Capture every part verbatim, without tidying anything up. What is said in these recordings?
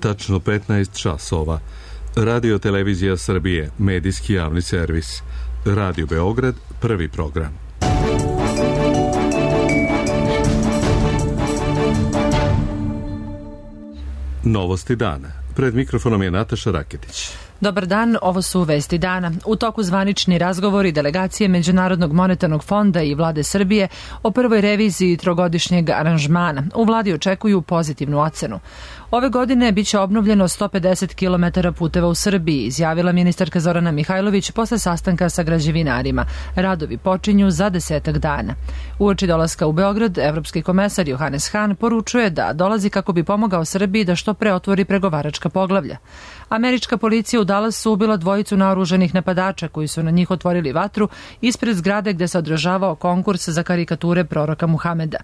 tačno petnaest časova. Radio Televizija Srbije, medijski javni servis. Radio Beograd, prvi program. Novosti dana. Pred mikrofonom je Nataša Raketić. Dobar dan, ovo su vesti dana. U toku zvanični razgovori delegacije Međunarodnog monetarnog fonda i vlade Srbije o prvoj reviziji trogodišnjeg aranžmana. U vladi očekuju pozitivnu ocenu. Ove godine biće obnovljeno sto pedeset kilometara puteva u Srbiji, izjavila ministarka Zorana Mihajlović posle sastanka sa građevinarima. Radovi počinju za desetak dana. Uoči dolaska u Beograd, evropski komesar Johannes Hahn poručuje da dolazi kako bi pomogao Srbiji da što pre otvori pregovaračka poglavlja. Američka policija u Dallasu ubila dvojicu naoružanih napadača koji su na njih otvorili vatru ispred zgrade gde se održavao konkurs za karikature proroka Muhameda.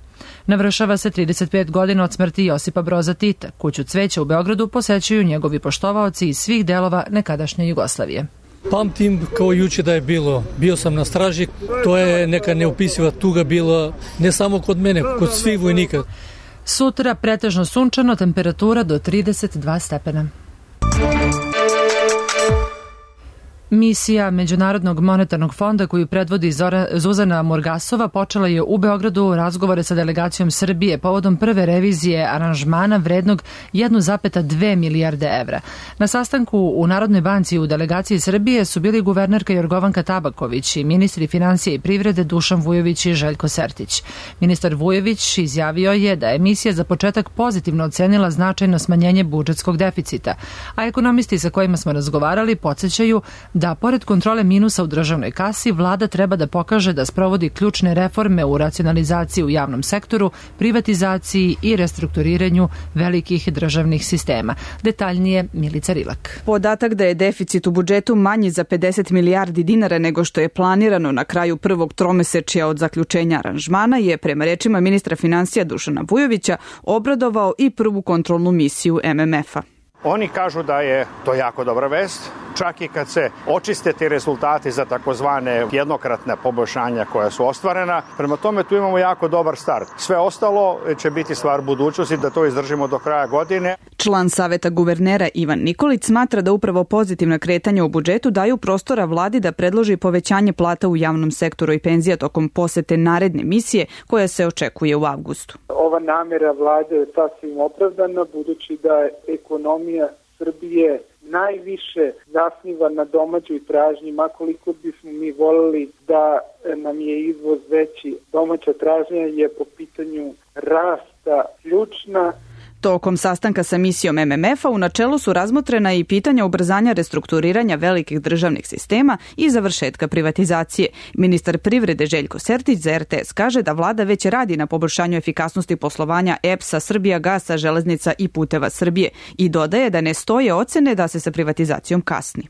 Navršava se trideset pet godina od smrti Josipa Broza Tita. Kuću cveća u Beogradu posećuju njegovi poštovaoci iz svih delova nekadašnje Jugoslavije. Pamtim kao juče da je bilo. Bio sam na straži. To je neka neopisiva tuga bila ne samo kod mene, kod svih vojnika. Sutra pretežno sunčano, temperatura do trideset dva stepena. Misija Međunarodnog monetarnog fonda koju predvodi Zora, Zuzana Morgasova počela je u Beogradu razgovore sa delegacijom Srbije povodom prve revizije aranžmana vrednog jedan zarez dve milijarde evra. Na sastanku u Narodnoj banci u delegaciji Srbije su bili guvernerka Jorgovanka Tabaković i ministri financije i privrede Dušan Vujović i Željko Sertić. Ministar Vujović izjavio je da je misija za početak pozitivno ocenila značajno smanjenje budžetskog deficita, a ekonomisti sa kojima smo razgovarali podsjećaju da pored kontrole minusa u državnoj kasi, vlada treba da pokaže da sprovodi ključne reforme u racionalizaciji u javnom sektoru, privatizaciji i restrukturiranju velikih državnih sistema. Detaljnije Milica Rilak. Podatak da je deficit u budžetu manji za pedeset milijardi dinara nego što je planirano na kraju prvog tromesečja od zaključenja aranžmana je, prema rečima ministra financija Dušana Vujovića, obradovao i prvu kontrolnu misiju M M F-a. Oni kažu da je to jako dobra vest, čak i kad se očiste ti rezultati za takozvane jednokratne poboljšanja koja su ostvarena. Prema tome tu imamo jako dobar start. Sve ostalo će biti stvar budućnosti da to izdržimo do kraja godine. Član Saveta guvernera Ivan Nikolić smatra da upravo pozitivna kretanja u budžetu daju prostora vladi da predloži povećanje plata u javnom sektoru i penzija tokom posete naredne misije koja se očekuje u avgustu. Ova namjera vlade je sasvim opravdana budući da je ekonomija Srbije najviše zasniva na domaćoj tražnji, makoliko bismo mi voljeli da nam je izvoz veći. Domaća tražnja je po pitanju rasta ključna. Tokom sastanka sa misijom M M F-a u načelu su razmotrena i pitanja ubrzanja restrukturiranja velikih državnih sistema i završetka privatizacije. Ministar privrede Željko Sertić za R T S kaže da vlada već radi na poboljšanju efikasnosti poslovanja E P S-a, Srbijagasa, Železnica i Puteva Srbije i dodaje da ne stoje ocene da se sa privatizacijom kasni.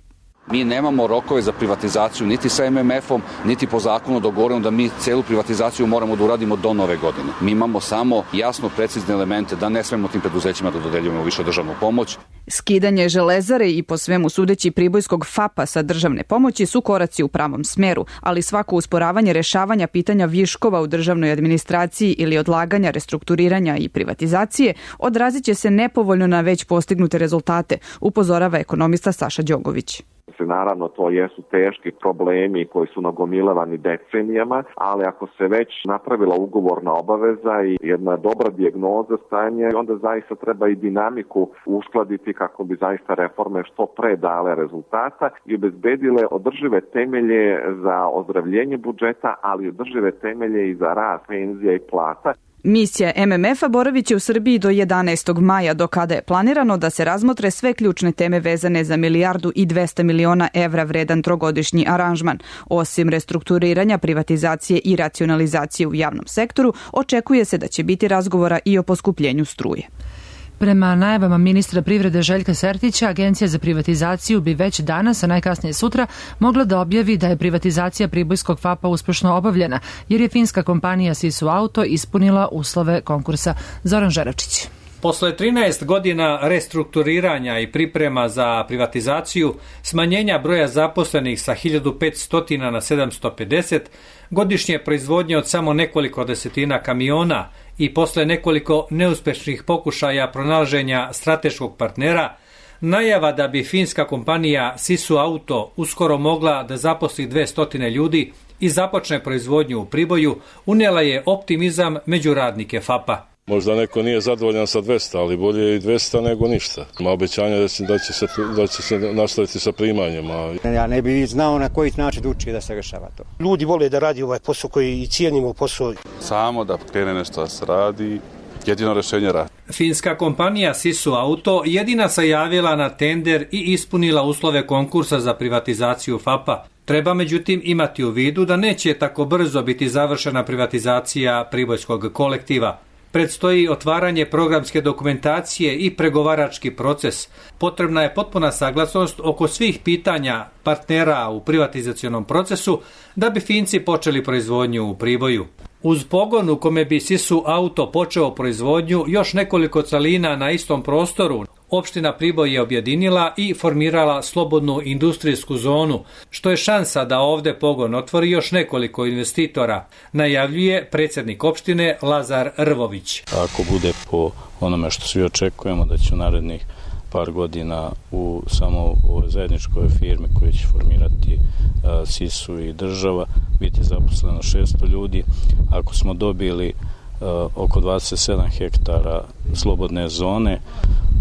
Mi nemamo rokove za privatizaciju niti sa M M F-om, niti po zakonu dogovoreno da mi celu privatizaciju moramo da uradimo do nove godine. Mi imamo samo jasno precizne elemente da ne smemo tim preduzećima da dodeljujemo više državnu pomoć. Skidanje Železare i po svemu sudeći Pribojskog F A P-a sa državne pomoći su koraci u pravom smeru, ali svako usporavanje rešavanja pitanja viškova u državnoj administraciji ili odlaganja restrukturiranja i privatizacije odrazit će se nepovoljno na već postignute rezultate, upozorava ekonomista Saša Đogović. Naravno, to jesu teški problemi koji su nagomilavani decenijama, ali ako se već napravila ugovorna obaveza i jedna dobra dijagnoza stanja, onda zaista treba i dinamiku uskladiti kako bi zaista reforme što pre dale rezultata i obezbedile održive temelje za ozdravljenje budžeta, ali održive temelje i za rast penzija i plata. Misija M M F-a boravit će u Srbiji do jedanaestog maja, do kada je planirano da se razmotre sve ključne teme vezane za milijardu i dvesta miliona evra vredan trogodišnji aranžman. Osim restrukturiranja, privatizacije i racionalizacije u javnom sektoru, očekuje se da će biti razgovora i o poskupljenju struje. Prema najavama ministra privrede Željka Sertića, Agencija za privatizaciju bi već danas, a najkasnije sutra, mogla da objavi da je privatizacija Pribojskog F A P-a uspešno obavljena, jer je finska kompanija Sisu Auto ispunila uslove konkursa. Zoran Žeračić. Posle trinaest godina restrukturiranja i priprema za privatizaciju, smanjenja broja zaposlenih sa hiljadu petsto na sedamsto pedeset, godišnje proizvodnje od samo nekoliko desetina kamiona i posle nekoliko neuspešnih pokušaja pronalaženja strateškog partnera, najava da bi finska kompanija Sisu Auto uskoro mogla da zaposli dvesta ljudi i započne proizvodnju u Priboju, unijela je optimizam među radnike F A P-a. Možda neko nije zadovoljan sa dvesta, ali bolje je i dvesta nego ništa. Ima obećanja da će, da će, se, da će se nastaviti sa primanjima. Ja ne bih znao na koji način da uči da se rešava to. Ljudi vole da radi ovaj posao koji i cijenimo posao. Samo da krene nešto da se radi, jedino rešenje radi. Finska kompanija Sisu Auto jedina se javila na tender i ispunila uslove konkursa za privatizaciju F A P-a. Treba međutim imati u vidu da neće tako brzo biti završena privatizacija pribojskog kolektiva. Predstoji otvaranje programske dokumentacije i pregovarački proces. Potrebna je potpuna saglasnost oko svih pitanja partnera u privatizacionom procesu da bi Finci počeli proizvodnju u Priboju. Uz pogon u kome bi Sisu Auto počeo proizvodnju još nekoliko celina na istom prostoru, opština Priboj je objedinila i formirala slobodnu industrijsku zonu, što je šansa da ovde pogon otvori još nekoliko investitora, najavljuje predsjednik opštine Lazar Rvović. Ako bude po onome što svi očekujemo da će u narednih par godina u samo ovoj zajedničkoj firmi koji će formirati a, Sisu i država biti zaposleno šesto ljudi. Ako smo dobili a, oko dvadeset sedam hektara slobodne zone,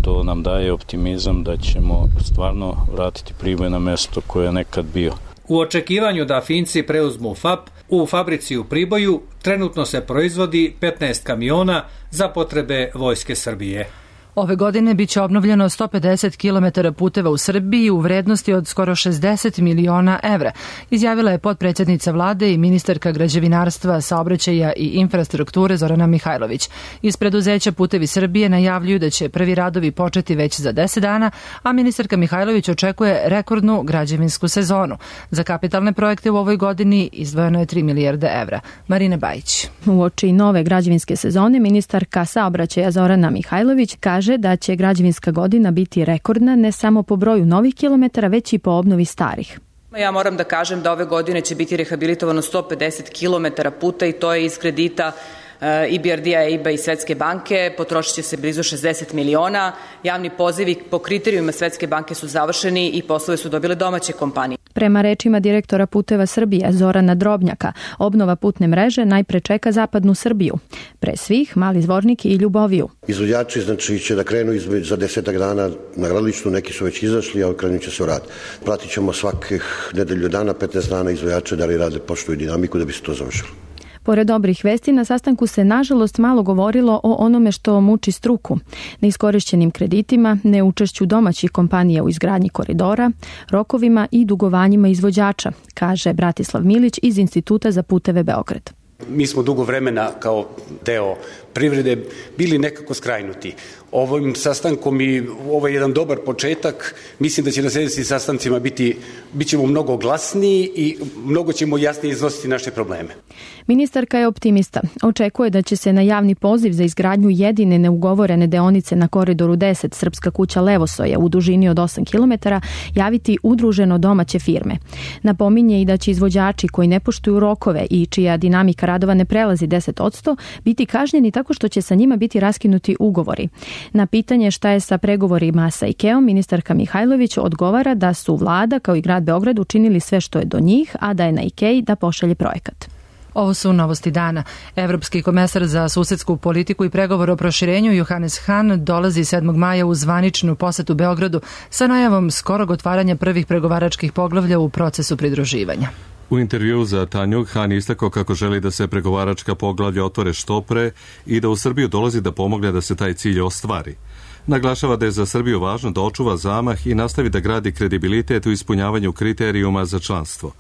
to nam daje optimizam da ćemo stvarno vratiti Priboj na mesto koje je nekad bio. U očekivanju da Finci preuzmu F A P, u fabrici u Priboju trenutno se proizvodi petnaest kamiona za potrebe Vojske Srbije. Ove godine biće obnovljeno sto pedeset kilometara puteva u Srbiji u vrednosti od skoro šezdeset miliona evra, izjavila je potpredsjednica vlade i ministarka građevinarstva, saobraćaja i infrastrukture Zorana Mihajlović. Iz preduzeća Putevi Srbije najavljuju da će prvi radovi početi već za deset dana, a ministarka Mihajlović očekuje rekordnu građevinsku sezonu. Za kapitalne projekte u ovoj godini izdvojeno je tri milijarde evra. Marina Bajić. Uoči nove građevinske sezone ministarka saobraćaja Zorana Mihajlović kaže da će građevinska godina biti rekordna ne samo po broju novih kilometara, već i po obnovi starih. Ja moram da kažem da ove godine će biti rehabilitovano sto pedeset kilometara puta i to je iz kredita I B R D-a, E I B-a i Svetske banke. Potrošit će se blizu šezdeset miliona. Javni pozivi po kriterijuma Svetske banke su završeni i poslove su dobile domaće kompanije. Prema rečima direktora Puteva Srbije Zorana Drobnjaka, obnova putne mreže najpre čeka zapadnu Srbiju. Pre svih Mali Zvornik i Ljuboviju. Izvođači znači će da krenu za desetak dana na gradilištu, neki su već izašli, a krenut će se u rad. Pratit ćemo svakih nedelju dana, petnaest dana izvođače da li rade poštuju dinamiku da bi se to završilo. Pored dobrih vesti, na sastanku se nažalost malo govorilo o onome što muči struku, neiskorišćenim kreditima, neučešću domaćih kompanija u izgradnji koridora, rokovima i dugovanjima izvođača, kaže Bratislav Milić iz Instituta za puteve Beograd. Mi smo dugo vremena kao deo privrede bili nekako skrajnuti. Ovim sastankom i ovo je jedan dobar početak. Mislim da će na sljedećim sastancima biti, bit ćemo mnogo glasniji i mnogo ćemo jasnije iznositi naše probleme. Ministarka je optimista. Očekuje da će se na javni poziv za izgradnju jedine neugovorene deonice na koridoru deset Srpska kuća Levosoja u dužini od osam kilometara javiti udruženo domaće firme. Napominje i da će izvođači koji ne poštuju rokove i čija dinamika radova ne prelazi deset posto biti kažnjeni tako što će sa njima biti raskinuti ugovori. Na pitanje šta je sa pregovorima sa IKEA-om, ministarka Mihajlović odgovara da su vlada kao i grad Beograd učinili sve što je do njih, a da je na IKEA da pošalje projekat. Ovo su novosti dana. Evropski komesar za susedsku politiku i pregovor o proširenju Johannes Hahn dolazi sedmog maja u zvaničnu posetu Beogradu sa najavom skorog otvaranja prvih pregovaračkih poglavlja u procesu pridruživanja. U intervjuu za Tanjug Hahn istakao kako želi da se pregovaračka poglavlja otvore što pre i da u Srbiju dolazi da pomogne da se taj cilj ostvari. Naglašava da je za Srbiju važno da očuva zamah i nastavi da gradi kredibilitet u ispunjavanju kriterijuma za članstvo.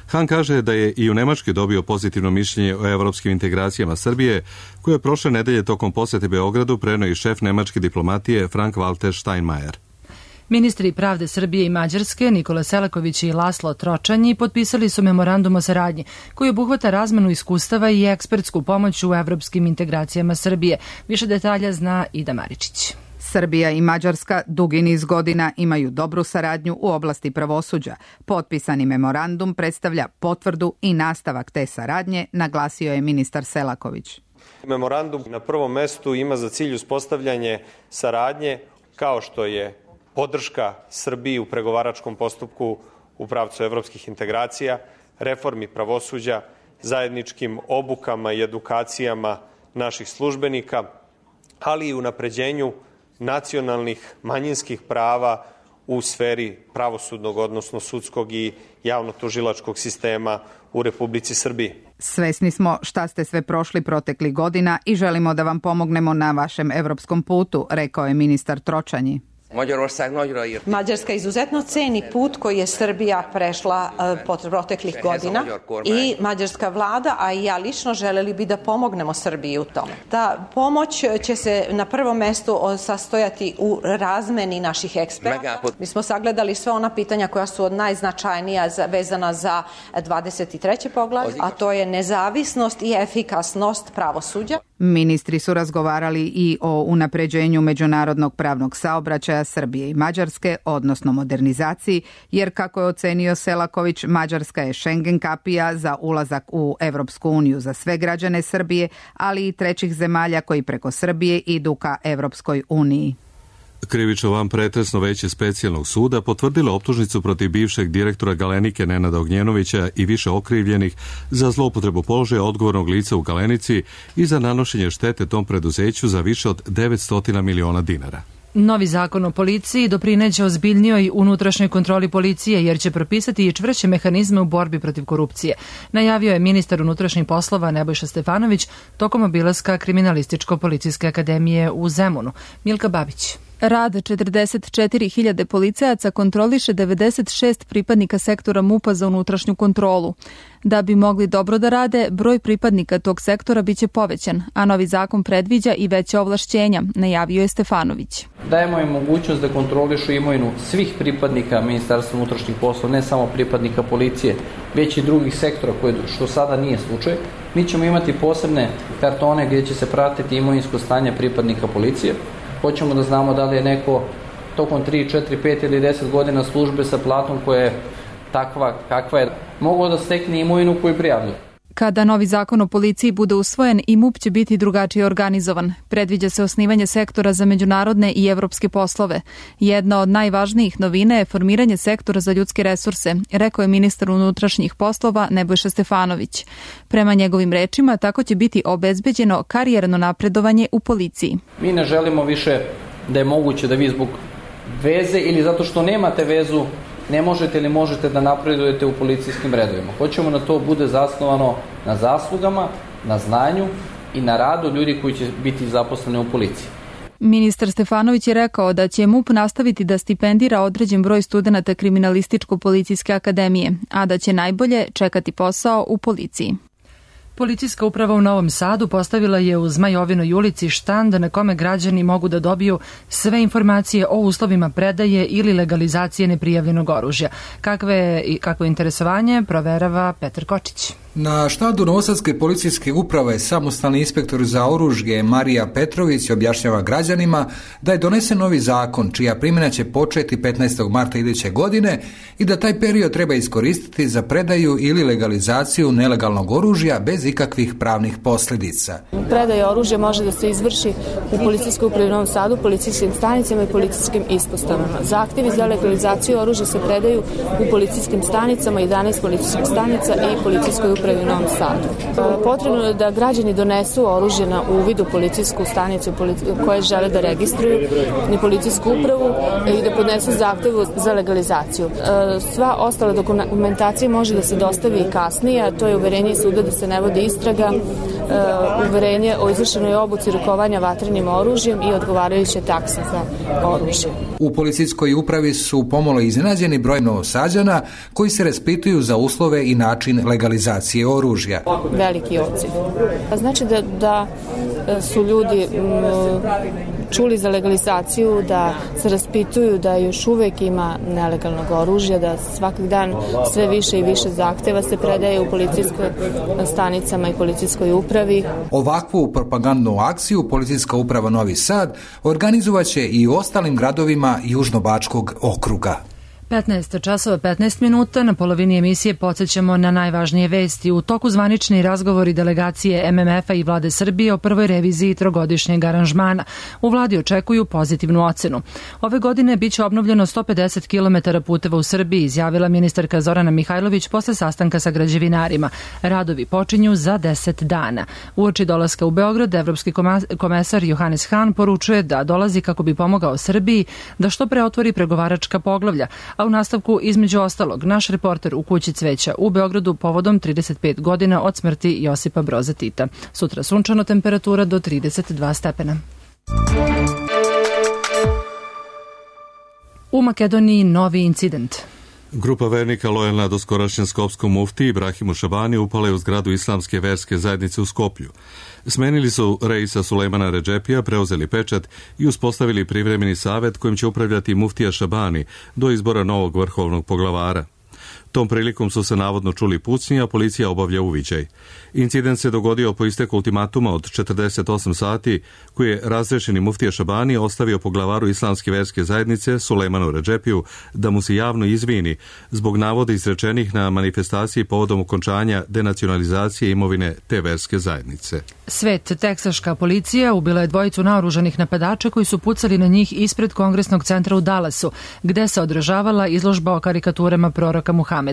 Hahn kaže da je i u Nemačkoj dobio pozitivno mišljenje o evropskim integracijama Srbije, koje je prošle nedelje tokom posete Beogradu preneo i šef nemačke diplomatije Frank-Walter Steinmeier. Ministri pravde Srbije i Mađarske, Nikola Selaković i Laslo Tročanji, potpisali su memorandum o saradnji koji obuhvata razmenu iskustava i ekspertsku pomoć u evropskim integracijama Srbije. Više detalja zna Ida Maričić. Srbija i Mađarska dugi niz godina imaju dobru saradnju u oblasti pravosuđa. Potpisani memorandum predstavlja potvrdu i nastavak te saradnje, naglasio je ministar Selaković. Memorandum na prvom mestu ima za cilj uspostavljanje saradnje kao što je podrška Srbiji u pregovaračkom postupku u pravcu evropskih integracija, reformi pravosuđa, zajedničkim obukama i edukacijama naših službenika, ali i unapređenju nacionalnih manjinskih prava u sferi pravosudnog, odnosno sudskog i javno-tužilačkog sistema u Republici Srbiji. Svesni smo šta ste sve prošli proteklih godina i želimo da vam pomognemo na vašem evropskom putu, rekao je ministar Tročanji. Mađarska izuzetno ceni put koji je Srbija prešla uh, proteklih godina i mađarska vlada, a i ja lično želeli bi da pomognemo Srbiji u tome. Ta pomoć će se na prvom mestu sastojati u razmeni naših eksperta. Mi smo sagledali sve ona pitanja koja su od najznačajnija za, vezana za dvadeset treće poglavlje, a to je nezavisnost i efikasnost pravosuđa. Ministri su razgovarali i o unapređenju međunarodnog pravnog saobraćaja Srbije i Mađarske, odnosno modernizaciji, jer kako je ocenio Selaković, Mađarska je Schengen kapija za ulazak u Evropsku uniju za sve građane Srbije, ali i trećih zemalja koji preko Srbije idu ka Evropskoj uniji. Krivično van pretresno veće specijalnog suda potvrdilo optužnicu protiv bivšeg direktora Galenike Nenada Ognjenovića i više okrivljenih za zloupotrebu položaja odgovornog lica u Galenici i za nanošenje štete tom preduzeću za više od devetsto miliona dinara. Novi zakon o policiji doprineće ozbiljnijoj unutrašnjoj kontroli policije jer će propisati i čvršće mehanizme u borbi protiv korupcije, najavio je ministar unutrašnjih poslova Nebojša Stefanović tokom obilaska Kriminalističko-policijske akademije u Zemunu. Milka Babić. Rad četrdeset četiri hiljade policajaca kontroliše devedeset šest pripadnika sektora MUP-a za unutrašnju kontrolu. Da bi mogli dobro da rade, broj pripadnika tog sektora biće povećan, a novi zakon predviđa i veće ovlašćenja, najavio je Stefanović. Dajemo im mogućnost da kontrolišu imovinu svih pripadnika Ministarstva unutrašnjih poslova, ne samo pripadnika policije, već i drugih sektora, koje, što sada nije slučaj. Mi ćemo imati posebne kartone gdje će se pratiti imovinsko stanje pripadnika policije. Hoćemo da znamo da li je neko tokom tri, četiri, pet ili deset godina službe sa platom koja je takva kakva je, mogao da stekne imovinu koju prijavljuje. Kada novi zakon o policiji bude usvojen, i MUP će biti drugačije organizovan. Predviđa se osnivanje sektora za međunarodne i evropske poslove. Jedna od najvažnijih novina je formiranje sektora za ljudske resurse, rekao je ministar unutrašnjih poslova Nebojša Stefanović. Prema njegovim rečima, tako će biti obezbeđeno karijerno napredovanje u policiji. Mi ne želimo više da je moguće da vi zbog veze ili zato što nemate vezu ne možete ili možete da napredujete u policijskim redovima. Hoćemo da to bude zasnovano na zaslugama, na znanju i na radu ljudi koji će biti zaposleni u policiji. Ministar Stefanović je rekao da će MUP nastaviti da stipendira određen broj studenata Kriminalističko-policijske akademije, a da će najbolje čekati posao u policiji. Policijska uprava u Novom Sadu postavila je u Zmajovinoj ulici štand na kome građani mogu da dobiju sve informacije o uslovima predaje ili legalizacije neprijavljenog oružja. Kakve, kakvo interesovanje proverava Petar Kočić. Na štandu Novosadske policijske uprave samostalni inspektor za oružje Marija Petrović objašnjava građanima da je donesen novi zakon čija primjena će početi petnaestog marta iduće godine i da taj period treba iskoristiti za predaju ili legalizaciju nelegalnog oružja bez ikakvih pravnih posljedica. Predaja oružja može da se izvrši u policijskoj upravi u Novom Sadu, policijskim stanicama i policijskim ispostavama. Zahtjevi za legalizaciju oružja se predaju u policijskim stanicama, jedanaest policijskih stanica i policijskoj upravi u Novom Sadu. Potrebno je da građani donesu oružje na uvid u policijsku stanicu koje žele da registruju na policijsku upravu i da podnesu zahtevu za legalizaciju. Sva ostala dokumentacija može da se dostavi i kasnije, a to je uverenje suda da se ne vodi istraga, uverenje o izvršenoj obuci rukovanja vatrenim oružjem i odgovarajuće takse za oružje. U policijskoj upravi su pomalo iznenađeni broj Novosađana koji se raspituju za uslove i način legalizacije oružja. Veliki odziv. Znači da, da su ljudi čuli za legalizaciju, da se raspituju da još uvek ima nelegalnog oružja, da svaki dan sve više i više zahteva se predaje u policijskoj stanicama i policijskoj upravi. Ovakvu propagandnu akciju Policijska uprava Novi Sad organizovaće i u ostalim gradovima Južnobačkog okruga. petnaest časova petnaest minuta, na polovini emisije podsjećamo na najvažnije vesti. U toku zvanični razgovori delegacije M M F-a i vlade Srbije o prvoj reviziji trogodišnjeg aranžmana. U vladi očekuju pozitivnu ocenu. Ove godine biće obnovljeno sto pedeset kilometara puteva u Srbiji, izjavila ministarka Zorana Mihajlović posle sastanka sa građevinarima. Radovi počinju za deset dana. Uoči dolaska u Beograd, evropski komesar Johannes Hahn poručuje da dolazi kako bi pomogao Srbiji da što pre otvori pregovaračka poglavlja. A u nastavku, između ostalog, naš reporter u Kući cveća u Beogradu povodom trideset pet godina od smrti Josipa Broza Tita. Sutra sunčano, temperatura do trideset dva stepena. U Makedoniji novi incident. Grupa vernika lojalna doskorašnjem skopskom mufti Ibrahimu Šabani upala je u zgradu islamske verske zajednice u Skoplju. Smenili su Reisa Sulejmana Redžepija, preuzeli pečat i uspostavili privremeni savet kojim će upravljati muftija Šabani do izbora novog vrhovnog poglavara. Tom prilikom su se navodno čuli pucnji, a policija obavlja uviđaj. Incident se dogodio po isteku ultimatuma od četrdeset osam sati, koji je razrešeni muftija Šabani ostavio poglavaru islamske verske zajednice Sulejmanu Redžepiju da mu se javno izvini zbog navoda izrečenih na manifestaciji povodom okončanja denacionalizacije imovine te verske zajednice. Svet, teksaška policija ubila je dvojicu naoružanih napadača koji su pucali na njih ispred Kongresnog centra u Dallasu, gde se održavala izložba o karikaturama proroka Muhameda.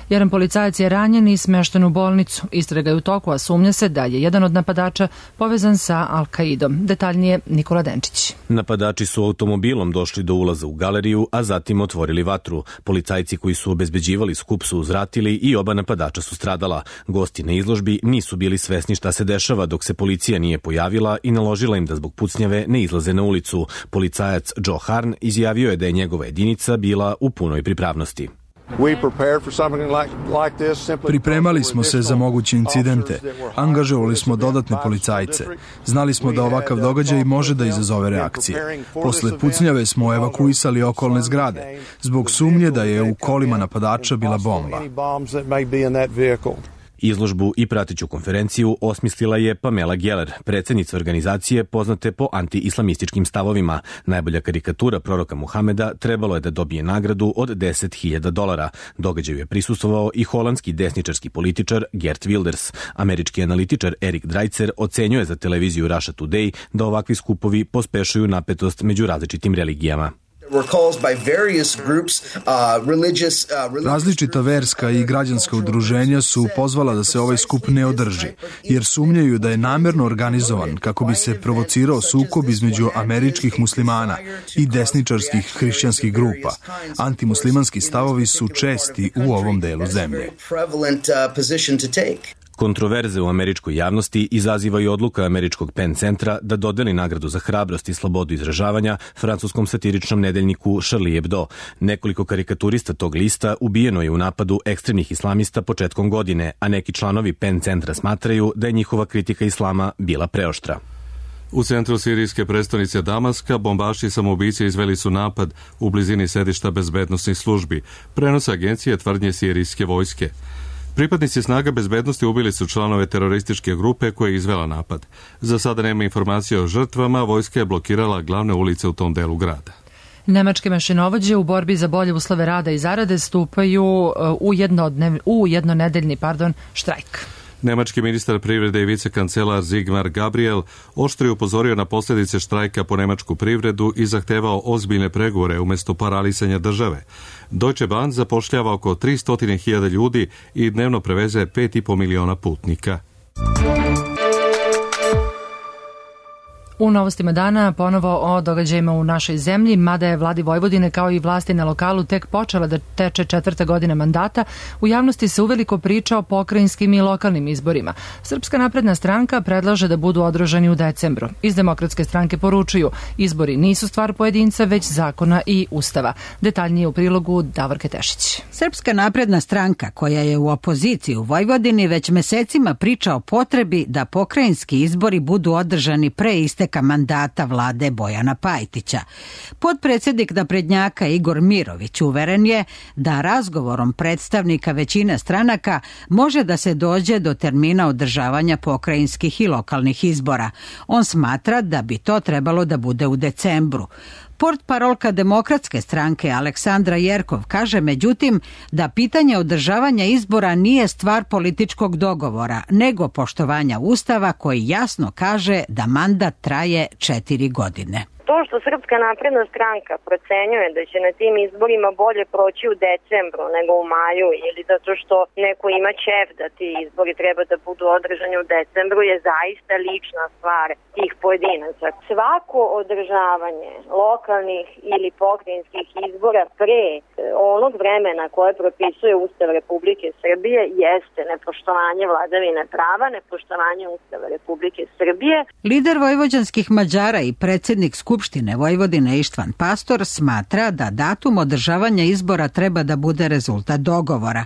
Jedan policajac je ranjen i smešten u bolnicu. Istraga je u toku, a sumnja se da je jedan od napadača povezan sa Al-Kaidom. Detaljnije Nikola Denčić. Napadači su automobilom došli do ulaza u galeriju, a zatim otvorili vatru. Policajci koji su obezbeđivali skup su uzvratili i oba napadača su stradala. Gosti na izložbi nisu bili svesni šta se dešava dok se policija nije pojavila i naložila im da zbog pucnjave ne izlaze na ulicu. Policajac Joe Harn izjavio je da je njegova jedinica bila u punoj pripravnosti. Pripremali smo se za moguće incidente, angažovali smo dodatne policajce. Znali smo da ovakav događaj može da izazove reakcije. Posle pucnjave smo evakuisali okolne zgrade, zbog sumnje da je u kolima napadača bila bomba. Izložbu i prateću konferenciju osmislila je Pamela Geller, predsjednica organizacije poznate po anti-islamističkim stavovima. Najbolja karikatura proroka Muhameda trebalo je da dobije nagradu od deset hiljada dolara. Događaju je prisustvovao i holandski desničarski političar Geert Wilders. Američki analitičar Erik Dreitzer ocenjuje za televiziju Russia Today da ovakvi skupovi pospešuju napetost među različitim religijama. Različita verska i građanska udruženja su pozvala da se ovaj skup ne održi, jer sumnjaju da je namerno organizovan kako bi se provocirao sukob između američkih muslimana i desničarskih hrišćanskih grupa. Antimuslimanski stavovi su česti u ovom delu zemlje. Kontroverze u američkoj javnosti izaziva i odluka američkog Penn centra da dodeli nagradu za hrabrost i slobodu izražavanja francuskom satiričnom nedeljniku Charlie Hebdo. Nekoliko karikaturista tog lista ubijeno je u napadu ekstremnih islamista početkom godine, a neki članovi Penn centra smatraju da je njihova kritika islama bila preoštra. U centru sirijske prestonice Damaska bombaši samoubice izveli su napad u blizini sedišta bezbednosnih službi, prenose agencije tvrdnje sirijske vojske. Pripadnici snaga bezbednosti ubili su članove terorističke grupe koja je izvela napad. Za sada nema informacije o žrtvama, vojska je blokirala glavne ulice u tom delu grada. Nemačke mašinovođe u borbi za bolje uslove rada i zarade stupaju u, jednodnev, u jednonedeljni pardon, štrajk. Nemački ministar privrede i vicekancelar Sigmar Gabriel oštro je upozorio na posljedice štrajka po nemačku privredu i zahtevao ozbiljne pregovore umjesto paralisanja države. Deutsche Bahn zapošljava oko tristo hiljada ljudi i dnevno preveze pet i po miliona putnika. U novostima dana ponovo o događajima u našoj zemlji, mada je vladi Vojvodine kao i vlasti na lokalu tek počela da teče četvrta godina mandata, u javnosti se uveliko priča o pokrajinskim i lokalnim izborima. Srpska napredna stranka predlaže da budu održani u decembru. Iz Demokratske stranke poručuju, izbori nisu stvar pojedinca, već zakona i ustava. Detaljnije u prilogu Davorke Tešić. Srpska napredna stranka, koja je u opoziciji u Vojvodini, već mesecima priča o potrebi da pokrajinski izbori budu održani pre isteka isteka mandata vlade Bojana Pajtića. Potpredsjednik naprednjaka Igor Mirović uveren je da razgovorom predstavnika većine stranaka može da se dođe do termina održavanja pokrajinskih i lokalnih izbora. On smatra da bi to trebalo da bude u decembru. Portparolka Demokratske stranke Aleksandra Jerkov kaže međutim da pitanje održavanja izbora nije stvar političkog dogovora, nego poštovanja Ustava koji jasno kaže da mandat traje četiri godine. To što Srpska napredna stranka procenjuje da će na tim izborima bolje proći u decembru nego u maju ili zato što neko ima ćef da ti izbori treba da budu održani u decembru je zaista lična stvar tih pojedinaca. Svako održavanje lokalnih ili pokrajinskih izbora pre onog vremena koje propisuje Ustav Republike Srbije jeste nepoštovanje vladavine prava, nepoštovanje Ustava Republike Srbije. Lider vojvođanskih Mađara i predsjednik Skupštine Vojvodine Ištvan Pastor smatra da datum održavanja izbora treba da bude rezultat dogovora.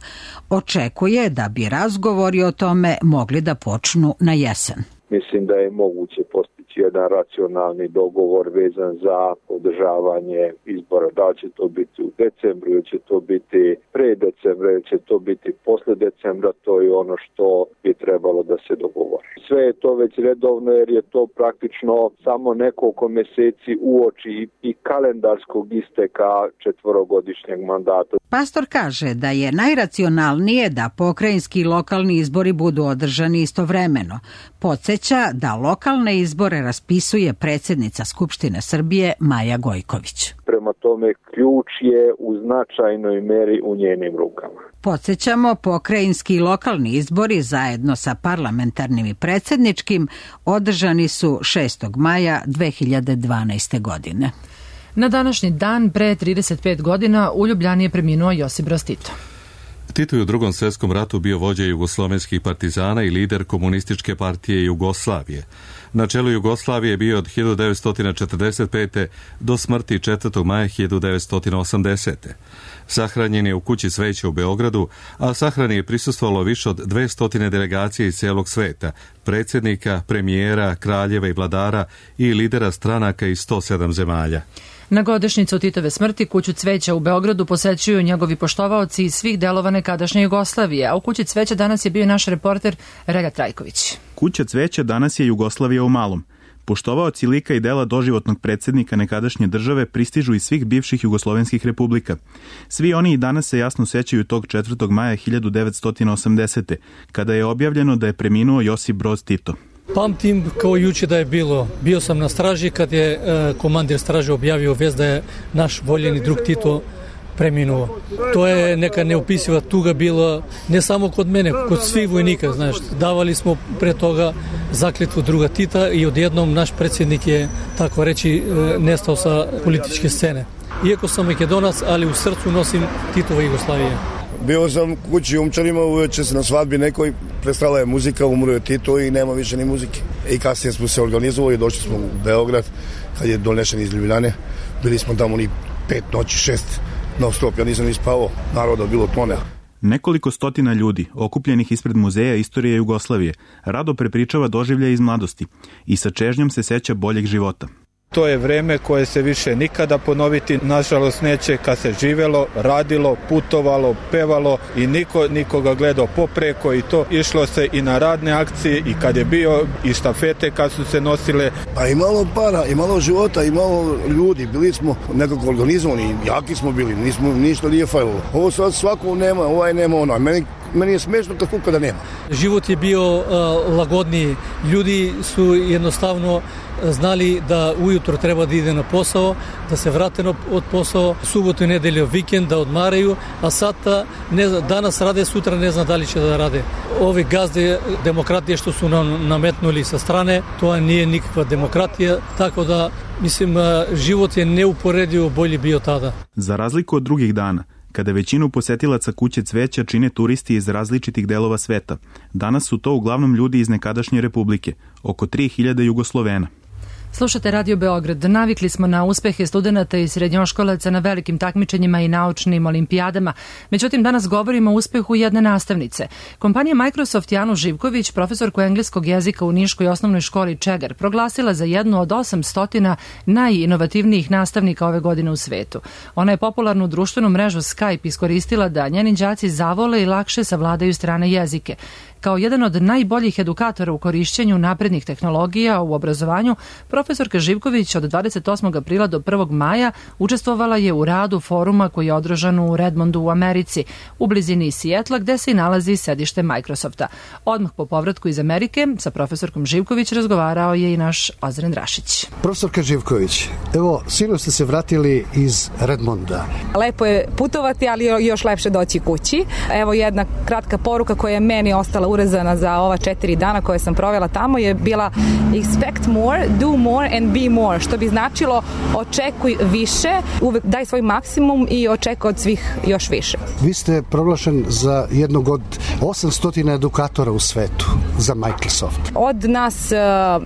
Očekuje da bi razgovori o tome mogli da počnu na jesen. Mislim da je moguće postići jedan racionalni dogovor vezan za održavanje izbora. Da će to biti u decembru, ili će to biti pre decembra, ili će to biti posle decembra, to je ono što bi trebalo da se dogovori. Sve je to već redovno jer je to praktično samo nekoliko meseci uoči i kalendarskog isteka četvorogodišnjeg mandata. Pastor kaže da je najracionalnije da pokrajinski i lokalni izbori budu održani istovremeno. Podsjeća da lokalne izbore raspisuje predsjednica Skupštine Srbije Maja Gojković. Prema tome ključ je u značajnoj meri u njenim rukama. Podsjećamo, pokrajinski i lokalni izbori zajedno sa parlamentarnim i predsjedničkim održani su šestog maja dve hiljade dvanaeste. godine. Na današnji dan pre trideset pet godina u Ljubljani je preminuo Josip Broz Tito. Tito je u Drugom svjetskom ratu bio vođa jugoslovenskih partizana i lider komunističke partije Jugoslavije. Na čelu Jugoslavije je bio od hiljadu devetsto četrdeset pete. do smrti četvrtog maja hiljadu devetsto osamdesete. Sahranjen je u kući Cveće u Beogradu, a sahrani je prisustvovalo više od dvesta delegacija iz cijelog sveta, predsjednika, premijera, kraljeva i vladara i lidera stranaka iz sto sedam zemalja. Na godišnjicu Titove smrti kuću Cveća u Beogradu posećuju njegovi poštovaoci iz svih delova nekadašnje Jugoslavije, a u kući Cveća danas je bio naš reporter Relja Trajković. Kuća Cveća danas je Jugoslavija u malom. Poštovaoci lika i dela doživotnog predsjednika nekadašnje države pristižu iz svih bivših jugoslovenskih republika. Svi oni i danas se jasno sećaju tog četvrtog maja hiljadu devetsto osamdesete. kada je objavljeno da je preminuo Josip Broz Tito. Pamtim kao juče da je bilo. Bio sam na straži kad je e, komandir straže objavio vest da je naš voljeni drug Tito preminuo. To je neka neopisiva tuga bila ne samo kod mene, kod svih vojnika, znaš. Davali smo pre toga zakletvu druga Tita i odjednom naš predsjednik je, tako reći, nestao sa političke scene. Iako sam Makedonac, ali u srcu nosim Titova Jugoslavije. Bio sam kući u Umčarima, uveče se na svadbi nekoj, prestala je muzika, umro je Tito i nema više ni muzike. I kasnije smo se organizovali, došli smo u Beograd, kad je donešen iz Ljubljane. Bili smo tamo ni pet noći, šest non stop, ja nisam ni spavao, naroda bilo tone. Nekoliko stotina ljudi, okupljenih ispred Muzeja istorije Jugoslavije, rado prepričava doživljaje iz mladosti i sa čežnjom se seća boljeg života. To je vreme koje se više nikada ponoviti, nažalost neće, kad se živelo, radilo, putovalo, pevalo i niko nikoga gledao popreko i to išlo se i na radne akcije i kad je bio i štafete kad su se nosile. Pa i malo para, i malo života, i malo ljudi, bili smo nekako organizovani, jaki smo bili, nismo, ništa nije falilo. Ovo sad svako nema, ovaj nema ono, meni Meni je smešno kad kuka da nema. Život je bio uh, lagodniji. Ljudi su jednostavno znali da ujutro treba da ide na posao, da se vrate od posao, subotu i nedelju vikend, da odmaraju, a sada ne, danas rade, sutra ne zna da li će da rade. Ovi gazde demokratije što su nam nametnuli sa strane, to nije nikakva demokratija, tako da mislim život je neuporedivo bolji bio tada. Za razliku od drugih dana, kada većinu posetilaca kuće Cveća čine turisti iz različitih delova sveta, danas su to uglavnom ljudi iz nekadašnje republike, oko tri hiljade Jugoslovena. Slušate Radio Beograd. Navikli smo na uspehe studenta i srednjoškolaca na velikim takmičenjima i naučnim olimpijadama. Međutim, danas govorimo o uspehu jedne nastavnice. Kompanija Microsoft Anu Živković, profesorku engleskog jezika u Niškoj osnovnoj školi Čegar, proglasila za jednu od osamsto najinovativnijih nastavnika ove godine u svetu. Ona je popularnu društvenu mrežu Skype iskoristila da njeni đaci zavole i lakše savladaju strane jezike. Kao jedan od najboljih edukatora u korišćenju naprednih tehnologija u obrazovanju, profesorka Živković od dvadeset osmog aprila do prvog maja učestvovala je u radu foruma koji je održan u Redmondu u Americi, u blizini Sijetla, gde se i nalazi sedište Microsofta. Odmah po povratku iz Amerike sa profesorkom Živković razgovarao je i naš Ozren Rašić. Profesorka Živković, evo, sinoć ste se vratili iz Redmonda. Lepo je putovati, ali još lepše doći kući. Evo jedna kratka poruka koja je meni ostala urezana za ova četiri dana koje sam provela tamo je bila expect more, do more and be more, što bi značilo očekuj više, uvek daj svoj maksimum i očekuj od svih još više. Vi ste proglašen za jednog od osamsto edukatora u svetu za Microsoft. Od nas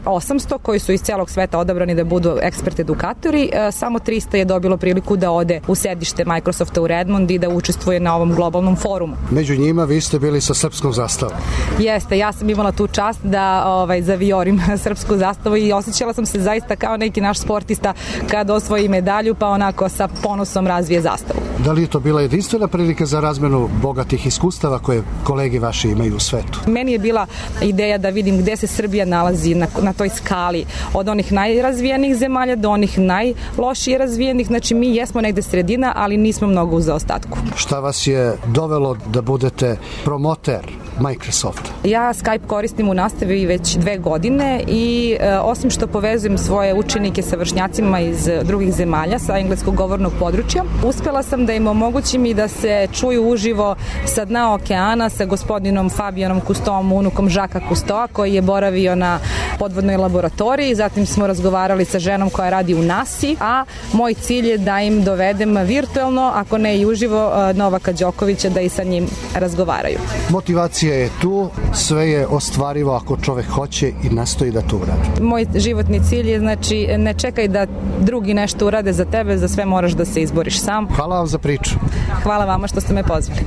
osamsto koji su iz celog sveta odabrani da budu ekspert edukatori, samo trista je dobilo priliku da ode u sedište Microsofta u Redmond i da učestvuje na ovom globalnom forumu. Među njima vi ste bili sa srpskom zastavom. Jeste, ja sam imala tu čast da ovaj, zaviorim srpsku zastavu i osjećala sam se zaista kao neki naš sportista kada osvoji medalju pa onako sa ponosom razvije zastavu. Da li je to bila jedinstvena prilika za razmenu bogatih iskustava koje kolege vaši imaju u svetu? Meni je bila ideja da vidim gde se Srbija nalazi na, na toj skali od onih najrazvijenijih zemalja do onih najlošije razvijenih. Znači mi jesmo negde sredina, ali nismo mnogo u zaostatku. Šta vas je dovelo da budete promoter Microsoft? Ja Skype koristim u nastavi već dve godine i e, osim što povezujem svoje učenike sa vršnjacima iz drugih zemalja sa engleskog govornog područja, uspela sam da im omogućim i da se čuju uživo sa dna okeana sa gospodinom Fabijanom Kustoom, unukom Žaka Kustoa, koji je boravio na podvodnoj laboratoriji. Zatim smo razgovarali sa ženom koja radi u nasi, a moj cilj je da im dovedem virtuelno, ako ne i uživo, Novaka Đokovića da i sa njim razgovaraju. Motivacija je tu, sve je ostvarivo ako čovek hoće i nastoji da to uradi. Moj životni cilj je, znači, ne čekaj da drugi nešto urade za tebe, za sve moraš da se izboriš sam. Hvala vam za priču. Hvala vama što ste me pozvali.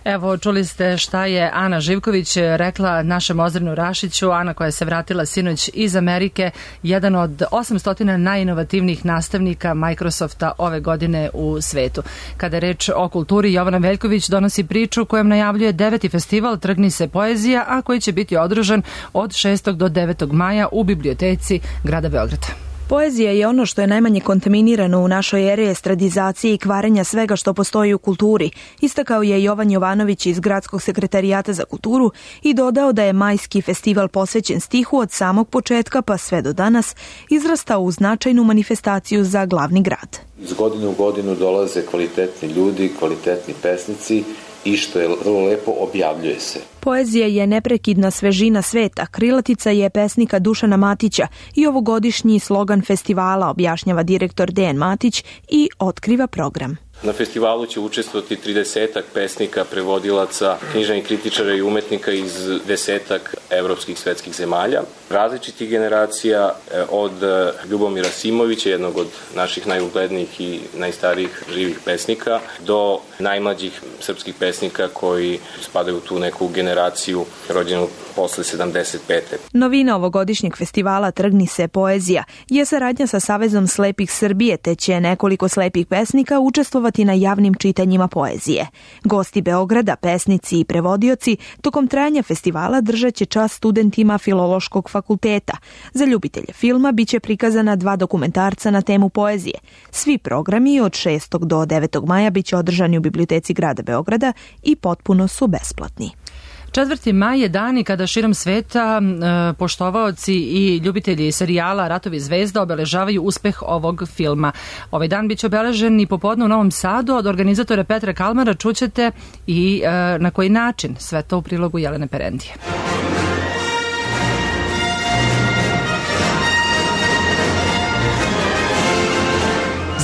Evo, čuli ste šta je Ana Živković rekla našem Ozrenu Rašiću. Ana koja se vratila sinoć iz Amerike, jedan od osamsto najinovativnijih nastavnika Microsofta ove godine u svetu. Kada je reč o kulturi, Jovana Veljković donosi priču kojom najavljuje deveti festival Trgni se poezija, a koji će biti održan od šestog do devetog maja u biblioteci grada Beograda. Poezija je ono što je najmanje kontaminirano u našoj eri estradizacije i kvarenja svega što postoji u kulturi, istakao je Jovan Jovanović iz Gradskog sekretarijata za kulturu i dodao da je majski festival posvećen stihu od samog početka pa sve do danas izrastao u značajnu manifestaciju za glavni grad. Iz godine u godinu dolaze kvalitetni ljudi, kvalitetni pesnici i što je vrlo lepo, objavljuje se. Poezija je neprekidna svežina sveta, krilatica je pesnika Dušana Matića i ovogodišnji slogan festivala, objašnjava direktor Dejan Matić i otkriva program. Na festivalu će učestvovati tridesetak pesnika, prevodilaca, književnih kritičara i umetnika iz desetak evropskih svetskih zemalja, različitih generacija, od Ljubomira Simovića, jednog od naših najuglednijih i najstarijih živih pesnika, do najmlađih srpskih pesnika koji spadaju u tu neku generaciju rođenu posle sedamdeset pete. Novina ovogodišnjeg festivala Trgni se poezija je saradnja sa Savezom slepih Srbije, te će nekoliko slepih pesnika učestvovati na javnim čitanjima poezije. Gosti Beograda, pesnici i prevodioci tokom trajanja festivala držat će čast studentima Filološkog fakulteta. Za ljubitelje filma biće prikazana dva dokumentarca na temu poezije. Svi programi od šestog do devetog maja biće održani u biblioteci grada Beograda i potpuno su besplatni. četvrti maj je dan i kada širom sveta e, poštovaoci i ljubitelji serijala Ratovi zvezda obeležavaju uspeh ovog filma. Ovaj dan biće obeležen i popodne u Novom Sadu. Od organizatora Petra Kalmara čućete i e, na koji način. Sve to u prilogu Jelene Perendije.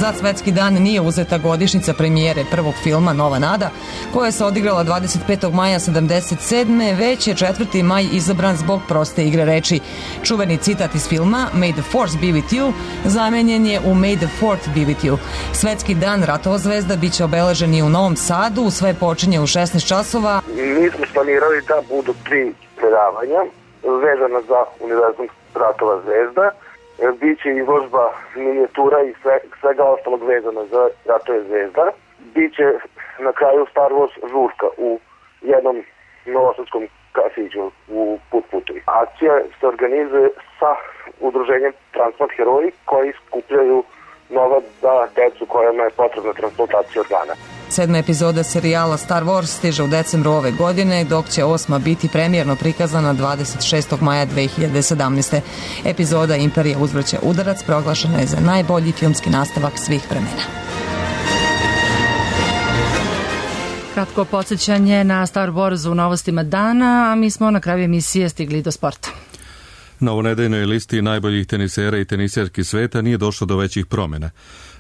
Za Svetski dan nije uzeta godišnjica premijere prvog filma Nova nada, koja se odigrala dvadeset petog maja sedamdeset sedme, već je četvrti maj izabran zbog proste igre reči. Čuveni citat iz filma May the Force be with you zamenjen je u May the Fourth be with you. Svetski dan Ratova zvezda biće obeležen i u Novom Sadu, sve počinje u šesnaest časova. Mi smo planirali da budu tri predavanja vezana za univerzum Ratova zvezda. Biće izložba minijatura i sve, svega ostalog vezano za Ratove zvezda. Biće na kraju Star Wars žurka u jednom novosadskom kafiću u Put putovi. Akcija se organizuje sa udruženjem Transplant heroji koji skupljaju novac za decu kojima je potrebna transplantacija organa. Sedma epizoda serijala Star Wars stiže u decembru ove godine, dok će osma biti premijerno prikazana dvadeset šestog maja dve hiljade sedamnaeste. Epizoda Imperija uzvraća udarac proglašena je za najbolji filmski nastavak svih vremena. Kratko podsjećanje na Star Wars u novostima dana, a mi smo na kraju emisije stigli do sporta. Na ovonedeljnoj listi najboljih tenisera i teniserki sveta nije došlo do većih promjena.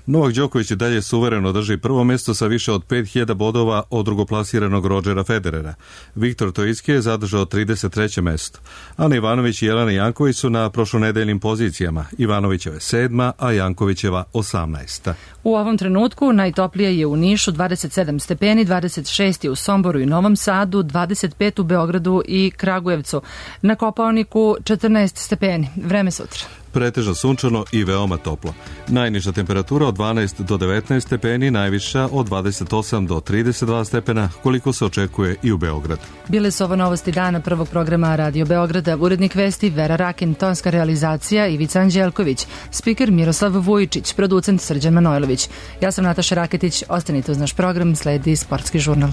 Novak Đoković i dalje suvereno drži prvo mjesto sa više od pet hiljada bodova od drugoplasiranog Rodgera Federera. Viktor Tojicki je zadržao trideset treće mjesto. Ana Ivanović i Jelena Janković su na prošlonedeljnim pozicijama. Ivanovićeva sedma, a Jankovićeva osamnaesta. U ovom trenutku najtoplije je u Nišu dvadeset sedam stepeni, dvadeset šest je u Somboru i Novom Sadu, dvadeset pet u Beogradu i Kragujevcu. Na Kopaoniku četrnaest stepeni. Vreme sutra. Pretežno sunčano i veoma toplo. Najniža temperatura od dvanaest do devetnaest stepeni, najviša od dvadeset osam do trideset dva stepena, koliko se očekuje i u Beogradu. Bile su ovo novosti dana prvog programa Radio Beograda. Urednik vesti Vera Rakin, tonska realizacija Ivica Anđelković, spiker Miroslav Vujičić, producent Srđan Manojlović. Ja sam Nataša Raketić, ostanite uz naš program, sledi Sportski žurnal.